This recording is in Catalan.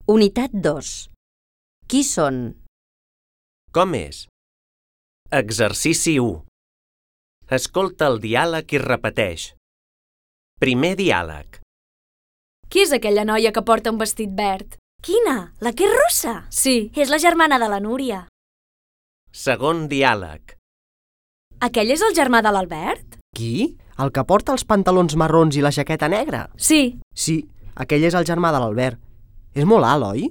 Unitat 2. Qui són? Com és? Exercici 1. Escolta el diàleg i repeteix. Primer diàleg. Qui és aquella noia que porta un vestit verd? Quina? La que és rossa? Sí. És la germana de la Núria. Segon diàleg. Aquell és el germà de l'Albert? Qui? El que porta els pantalons marrons i la jaqueta negra? Sí. Sí, aquell és el germà de l'Albert. És molt alt, oi?